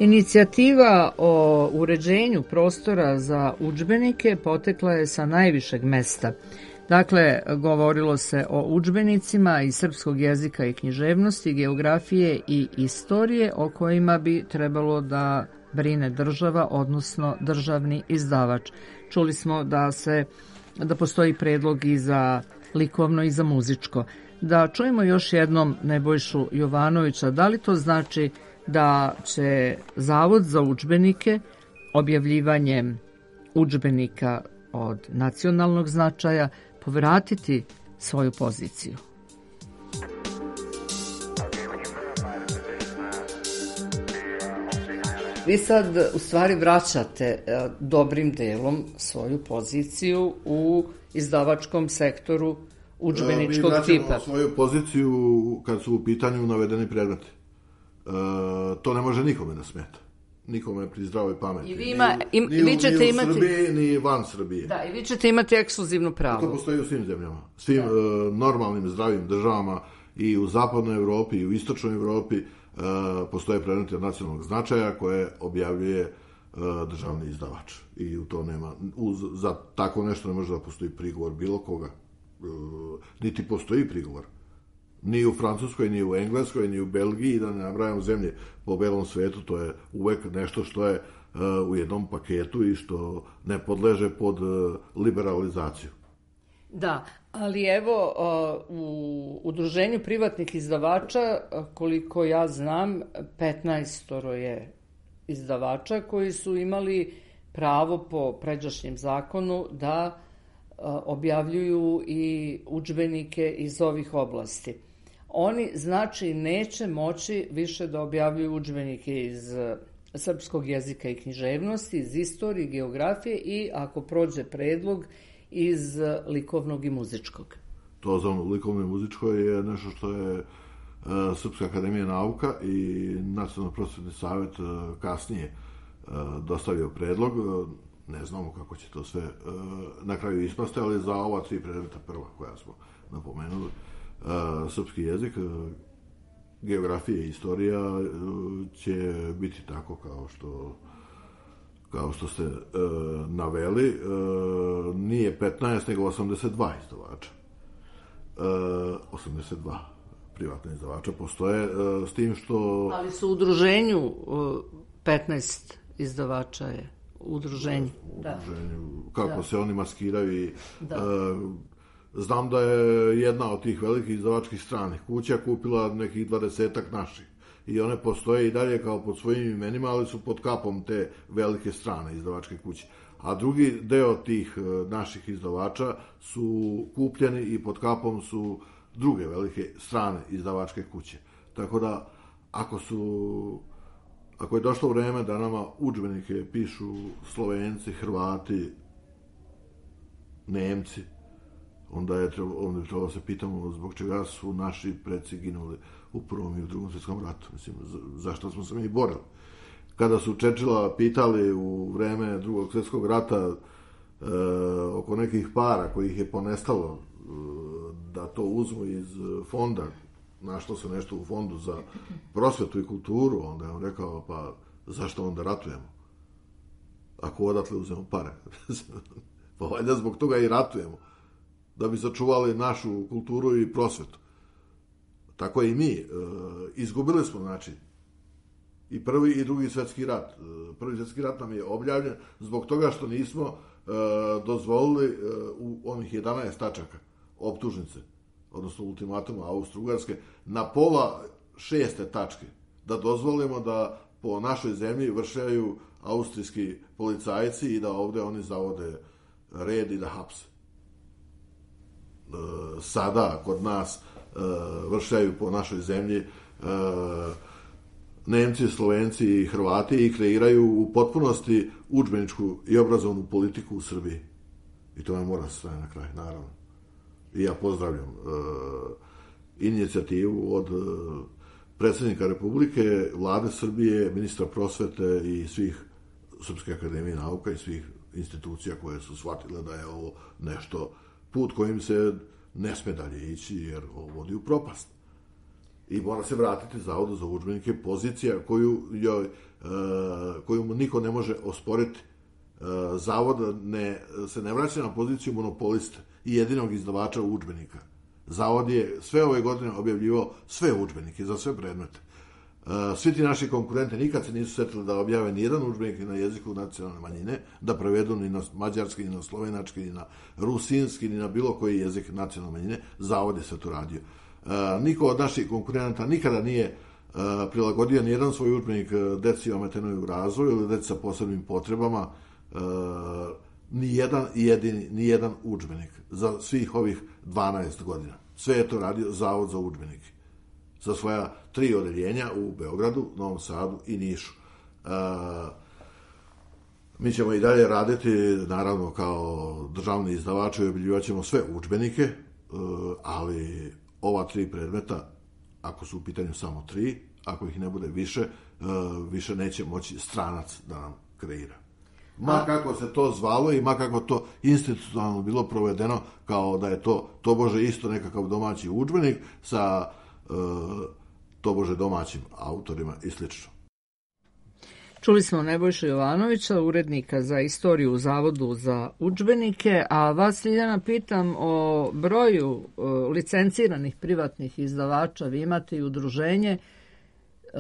Inicijativa o uređenju prostora za udžbenike potekla je sa najvišeg mesta. Dakle, govorilo se o udžbenicima iz srpskog jezika i književnosti, geografije i istorije o kojima bi trebalo da brine država, odnosno državni izdavač. Čuli smo da se da postoji predlog i za likovno i za muzičko. Da čujemo još jednom Nebojšu Jovanovića, da li to znači da će Zavod za udžbenike objavljivanjem udžbenika od nacionalnog značaja povratiti svoju poziciju? vi sad u stvari vraćate dobrim delom svoju poziciju u izdavačkom sektoru udžbeničkog tipa. Mi vraćamo svoju poziciju kad su u pitanju navedeni predmeti. E, to ne može nikome da smeta. Nikome pri zdravoj pameti. I vi, ima, im, ni, vi ćete ni u imati... Srbiji, ni van Srbije. Da, i vi ćete imati ekskluzivno pravo. To postoji u svim zemljama. Svim uh, normalnim, zdravim državama i u zapadnoj Evropi i u istočnoj Evropi uh, postoje predmeti od nacionalnog značaja koje objavljuje uh, državni izdavač. I u to nema... Uz, za tako nešto ne može da postoji prigovor bilo koga. Uh, niti postoji prigovor. Ni u Francuskoj, ni u Engleskoj, ni u Belgiji, da ne nabrajam zemlje po belom svetu, to je uvek nešto što je uh, u jednom paketu i što ne podleže pod uh, liberalizaciju. Da, ali evo, uh, u udruženju privatnih izdavača, uh, koliko ja znam, petnaestoro je izdavača koji su imali pravo po pređašnjem zakonu da uh, objavljuju i udžbenike iz ovih oblasti. Oni, znači, neće moći više da objavljuju udžbenike iz srpskog jezika i književnosti, iz istorije, geografije i, ako prođe predlog, iz likovnog i muzičkog. To za likovno i muzičko je nešto što je uh, Srpska akademija nauka i Nacionalno prosvetni savet uh, kasnije uh, dostavio predlog. Uh, ne znamo kako će to sve uh, na kraju ispasti, ali za ova tri predmeta prva koja smo napomenuli, Uh, srpski jezik, uh, geografija i istorija uh, će biti tako kao što kao što ste uh, naveli. Uh, nije petnaest, nego osamdeset dva izdavača. Uh, osamdeset dva privatna izdavača postoje, uh, s tim što... Ali su u udruženju uh, petnaest izdavača je u udruženju. Da, u udruženju. Kako da. se oni maskiraju i... Da. Uh, Znam da je jedna od tih velikih izdavačkih stranih kuća kupila nekih dvadesetak naših. I one postoje i dalje kao pod svojim imenima, ali su pod kapom te velike strane izdavačke kuće. A drugi deo tih naših izdavača su kupljeni i pod kapom su druge velike strane izdavačke kuće. Tako da, ako su... Ako je došlo vreme da nama udžbenike pišu Slovenci, Hrvati, Nemci, onda je trebalo, onda je trebalo da se pitamo zbog čega su naši preci ginuli u Prvom i u Drugom svjetskom ratu. Mislim, zašto smo se mi borili. Kada su Čečila pitali u vreme Drugog svjetskog rata e, oko nekih para kojih je ponestalo e, da to uzmu iz fonda, našlo se nešto u fondu za prosvetu i kulturu, onda je on rekao, pa zašto onda ratujemo? Ako odatle uzmemo pare. Pa valjda zbog toga i ratujemo. Da bi sačuvali našu kulturu i prosvetu. Tako i mi. E, izgubili smo, znači, i prvi i drugi svjetski rat. E, prvi svjetski rat nam je objavljen zbog toga što nismo e, dozvolili e, u onih jedanaest tačaka optužnice, odnosno ultimatuma Austro-Ugarske, na pola šeste tačke, da dozvolimo da po našoj zemlji vršaju austrijski policajci i da ovde oni zavode red i da hapse. Sada kod nas vršaju po našoj zemlji Nemci, Slovenci i Hrvati i kreiraju u potpunosti udžbeničku i obrazovnu politiku u Srbiji. I to me mora se staviti na kraj, naravno. I ja pozdravljam inicijativu od predsjednika Republike, Vlade Srbije, ministra prosvete i svih Srpske akademije nauka i svih institucija koje su shvatile da je ovo nešto, put kojim se ne sme dalje ići, jer ovo vodi u propast. I mora se vratiti Zavodu za udžbenike, pozicija koju, joj, e, koju mu niko ne može osporiti. E, Zavod ne, se ne vraća na poziciju monopolista i jedinog izdavača udžbenika. Zavod je sve ove godine objavljivao sve udžbenike za sve predmete. E, svi ti naši konkurenti nikad se nisu setili da objave ni jedan udžbenik ni na jeziku nacionalne manjine, da prevedu ni na mađarski, ni na slovenački, ni na rusinski, ni na bilo koji jezik nacionalne manjine. Zavod je sve to radio. E, niko od naših konkurenta nikada nije e, prilagodio ni jedan svoj udžbenik deci ometenoj u razvoju ili deci sa posebnim potrebama, e, ni jedan jedini, ni jedan udžbenik za svih ovih dvanaest godina. Sve je to radio Zavod za udžbenike. Za svoja tri odeljenja u Beogradu, Novom Sadu i Nišu. Mi ćemo i dalje raditi, naravno, kao državni izdavači, objavljivat ćemo sve udžbenike, ali ova tri predmeta, ako su u pitanju samo tri, ako ih ne bude više, više neće moći stranac da nam kreira. Ma kako se to zvalo i ma kako to institucionalno bilo provedeno, kao da je to tobože isto nekakav domaći udžbenik sa tobože domaćim autorima i slično. Čuli smo Nebojšu Jovanovića, urednika za istoriju u Zavodu za udžbenike, a vas, Ljiljana, pitam o broju uh, licenciranih privatnih izdavača. Vi imate i udruženje, uh,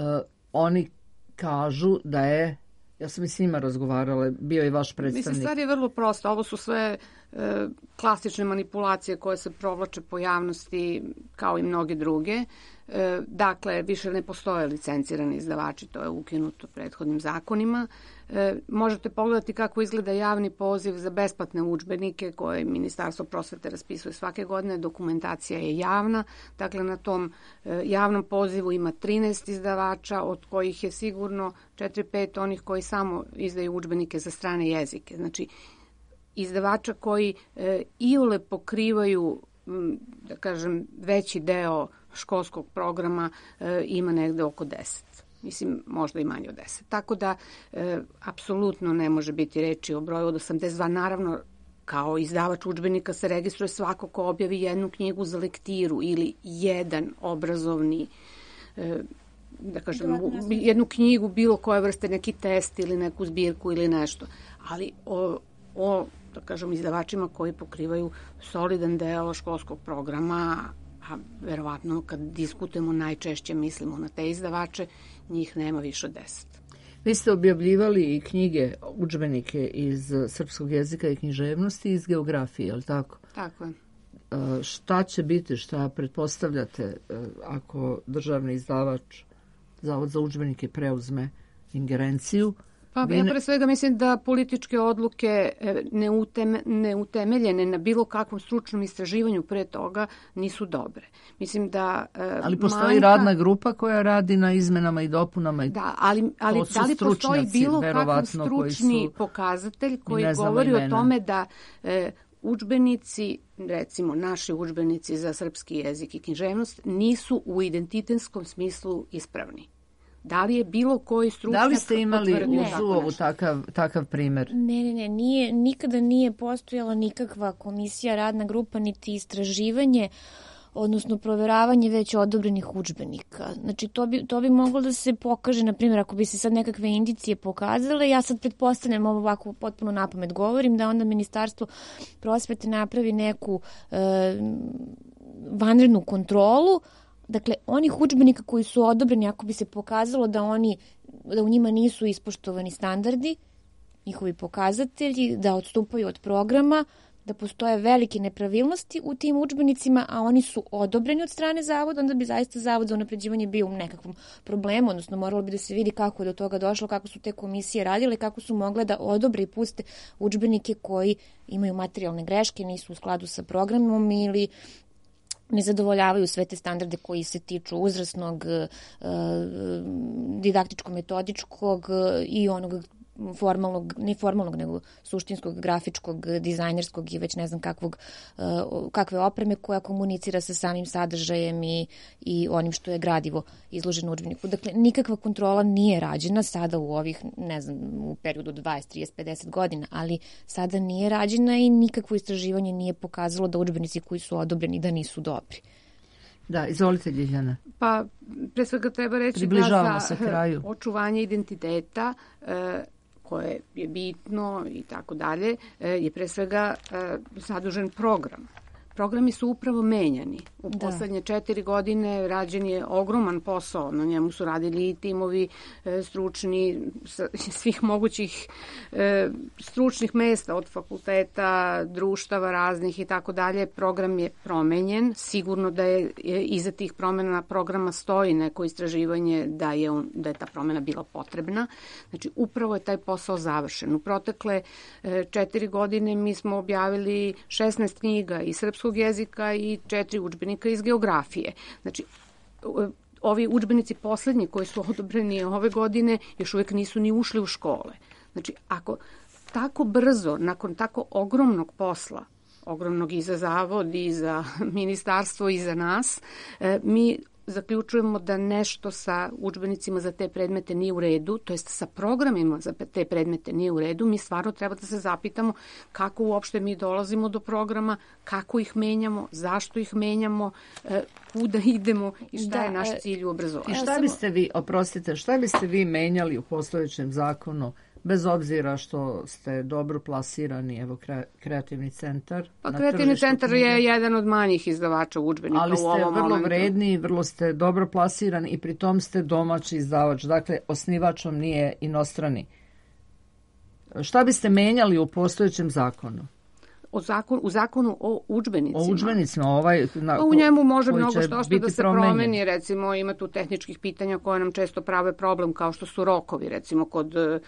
oni kažu da je, ja sam i s njima razgovarala, bio i vaš predstavnik. Mislim, stvar je vrlo prosta, ovo su sve e, klasične manipulacije koje se provlače po javnosti kao i mnoge druge. E, dakle, više ne postoje licencirani izdavači, to je ukinuto prethodnim zakonima. E, možete pogledati kako izgleda javni poziv za besplatne udžbenike koje Ministarstvo prosvete raspisuje svake godine. Dokumentacija je javna. Dakle, na tom e, javnom pozivu ima trinaest izdavača, od kojih je sigurno četiri pet onih koji samo izdaju udžbenike za strane jezike. Znači, izdavača koji e, iole pokrivaju, da kažem, veći deo školskog programa e, ima negde oko deset. Mislim, možda i manje od deset. Tako da, e, apsolutno ne može biti reči o broju od osamdeset dva. Naravno, kao izdavač udžbenika se registruje svako ko objavi jednu knjigu za lektiru ili jedan obrazovni, e, da kažem, jednu knjigu bilo koje vrste, neki test ili neku zbirku ili nešto. Ali o, o da kažem, izdavačima koji pokrivaju solidan deo školskog programa, a verovatno kad diskutujemo najčešće mislimo na te izdavače, njih nema više od deset. Vi ste objavljivali i knjige, udžbenike iz srpskog jezika i književnosti i iz geografije, je li tako? Tako je. E, šta će biti, šta pretpostavljate e, ako državni izdavač, Zavod za udžbenike, preuzme ingerenciju? Pa ja pre svega mislim da političke odluke neuteme, neutemeljene na bilo kakvom stručnom istraživanju pre toga nisu dobre. Mislim da ali postoji manjka, radna grupa koja radi na izmenama i dopunama. I da, ali, ali da li postoji bilo kakav stručni su, pokazatelj koji govori imena. O tome da e, udžbenici, recimo naši udžbenici za srpski jezik i književnost, nisu u identitetskom smislu ispravni? Da li je bilo koji stručnjak... Da li ste imali u Zuovu takav, takav primer? Ne, ne, ne. Nije, nikada nije postojala nikakva komisija, radna grupa, niti istraživanje, odnosno proveravanje već odobrenih udžbenika. Znači, to bi, to bi moglo da se pokaže, na primjer, ako bi se sad nekakve indicije pokazale, ja sad pretpostavljam, ovo ovako potpuno napamet govorim, da onda Ministarstvo prosvete napravi neku e, vanrednu kontrolu. Dakle, onih udžbenika koji su odobreni, ako bi se pokazalo da oni, da u njima nisu ispoštovani standardi, njihovi pokazatelji, da odstupaju od programa, da postoje velike nepravilnosti u tim udžbenicima, a oni su odobreni od strane zavoda, onda bi zaista Zavod za unapređivanje bio u nekakvom problemu, odnosno moralo bi da se vidi kako je do toga došlo, kako su te komisije radile, kako su mogle da odobre i puste udžbenike koji imaju materijalne greške, nisu u skladu sa programom ili ne zadovoljavaju sve te standarde koji se tiču uzrasnog, didaktičko-metodičkog i onog formalnog, ne formalnog, nego suštinskog, grafičkog, dizajnerskog i već ne znam kakvog, kakve opreme koja komunicira sa samim sadržajem i, i onim što je gradivo izloženo u udžbeniku. Dakle, nikakva kontrola nije rađena sada u ovih, ne znam, u periodu dvadeset, trideset, pedeset godina, ali sada nije rađena i nikakvo istraživanje nije pokazalo da udžbenici koji su odobreni da nisu dobri. Da, izvolite, Ljiljana. Pa, pre svega treba reći da za kraju. Očuvanje identiteta e, koje je bitno i tako dalje, je pre svega zadužen program. Programi su upravo menjani. U da. poslednje četiri godine rađen je ogroman posao. Na njemu su radili i timovi e, stručni, svih mogućih e, stručnih mesta, od fakulteta, društava raznih i tako dalje. Program je promenjen. Sigurno da je, je iza tih promena programa stoji neko istraživanje da je, on, da je ta promena bila potrebna. Znači, upravo je taj posao završen. U protekle e, četiri godine mi smo objavili šesnaest knjiga i srpskog jezika i četiri udžbenika iz geografije. Znači, ovi udžbenici poslednji koji su odobreni ove godine još uvek nisu ni ušli u škole. Znači, ako tako brzo, nakon tako ogromnog posla, ogromnog i za zavod, i za ministarstvo, i za nas, mi zaključujemo da nešto sa udžbenicima za te predmete nije u redu, to jest sa programima za te predmete nije u redu. Mi stvarno treba da se zapitamo kako uopšte mi dolazimo do programa, kako ih menjamo, zašto ih menjamo, kuda idemo i šta da, je naš cilj u obrazovanju. I šta biste vi, oprostite, šta biste vi menjali u postojećem zakonu, bez obzira što ste dobro plasirani, evo, kreativni centar? Pa kreativni centar knjige. Je jedan od manjih izdavača udžbenika u ovom momentu. Ali ste vrlo vredni, vrlo ste dobro plasirani i pri tom ste domaći izdavač. Dakle, osnivač vam nije inostrani. Šta biste menjali u postojećem zakonu? O zakon, u zakonu o udžbenicima. O udžbenicima, ovaj... Na, u njemu može mnogo što što da se promenjen. promeni, recimo ima tu tehničkih pitanja koje nam često prave problem, kao što su rokovi, recimo kod e,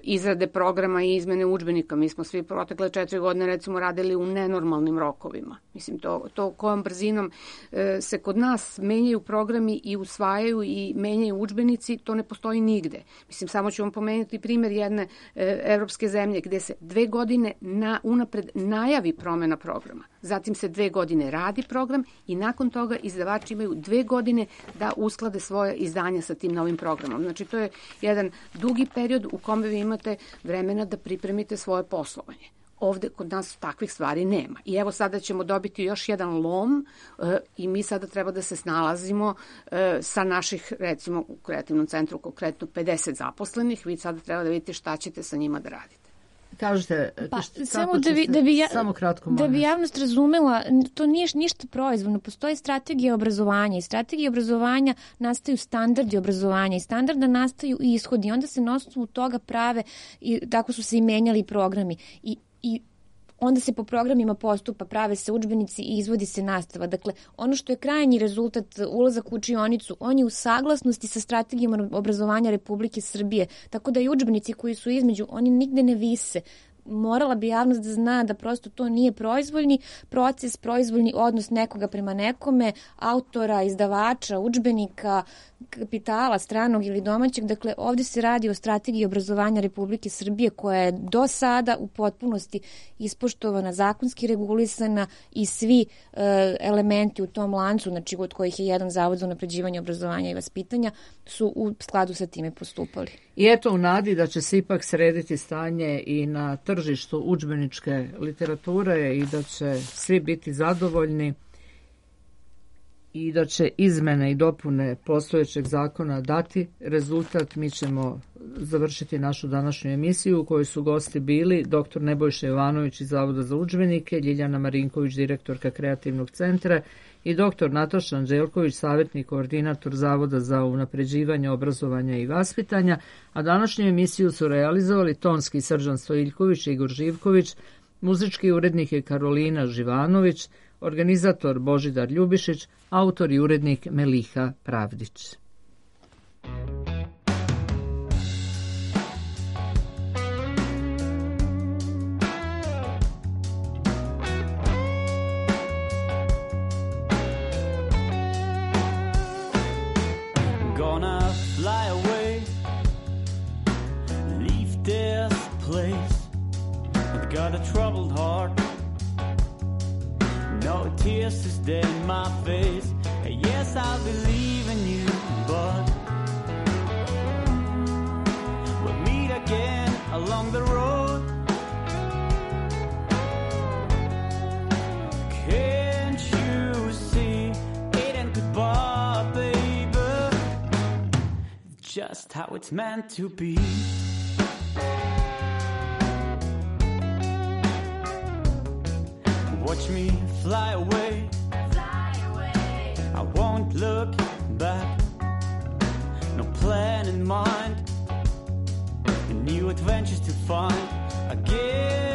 izrade programa i izmene udžbenika. Mi smo svi protekle četiri godine, recimo, radili u nenormalnim rokovima. Mislim, to, to kojom brzinom e, se kod nas menjaju programi i usvajaju i menjaju udžbenici, to ne postoji nigde. Mislim, samo ću vam pomenuti primjer jedne e, evropske zemlje gde se dve godine na unapred pred najavi promjena programa. Zatim se dve godine radi program i nakon toga izdavači imaju dve godine da usklade svoje izdanja sa tim novim programom. Znači, to je jedan dugi period u kome vi imate vremena da pripremite svoje poslovanje. Ovde kod nas takvih stvari nema. I evo sada ćemo dobiti još jedan lom e, i mi sada treba da se snalazimo e, sa naših, recimo u kreativnom centru konkretno pedeset zaposlenih. Vi sada treba da vidite šta ćete sa njima da radite. Kažete, pa, šta, samo, da bi, da bi ja, samo kratko da bi javnost razumela, to nije ništa proizvoljno, postoji strategija obrazovanja i strategija obrazovanja nastaju standardi obrazovanja i standarda nastaju i ishodi, onda se na osnovu toga prave i tako su se i menjali programi i, i onda se po programima postupa, prave se udžbenici i izvodi se nastava. Dakle, ono što je krajnji rezultat, ulazak u učionicu, on je u saglasnosti sa strategijom obrazovanja Republike Srbije. Tako da i udžbenici koji su između, oni nigde ne vise. Morala bi javnost da zna da prosto to nije proizvoljni proces, proizvoljni odnos nekoga prema nekome, autora, izdavača, udžbenika, kapitala, stranog ili domaćeg. Dakle, ovdje se radi o strategiji obrazovanja Republike Srbije koja je do sada u potpunosti ispoštovana, zakonski regulisana i svi e, elementi u tom lancu, znači od kojih je jedan zavod za unapređivanje obrazovanja i vaspitanja, su u skladu sa time postupali. I eto, u nadi da će se ipak srediti stanje i na tržištu udžbeničke literature i da će svi biti zadovoljni i da će izmene i dopune postojećeg zakona dati rezultat, mi ćemo završiti našu današnju emisiju u kojoj su gosti bili doktor Nebojša Jovanović iz Zavoda za udžbenike, Ljiljana Marinković, direktorka Kreativnog centra i doktor Nataša Anđelković, savjetni koordinator Zavoda za unapređivanje obrazovanja i vaspitanja, a današnju emisiju su realizovali tonski Srđan Stojiljković i Igor Živković, muzički urednik je Karolina Živanović, organizator Božidar Ljubišić, autor i urednik Meliha Pravdić. Gonna fly away, leave this place. I've got a troubled heart, no tears to stain my face. Yes, I believe in you, but we'll meet again along the road. Can't you see it ain't goodbye, baby, just how it's meant to be. Watch me fly away, fly away. I won't look back, no plan in mind, new adventures to find again.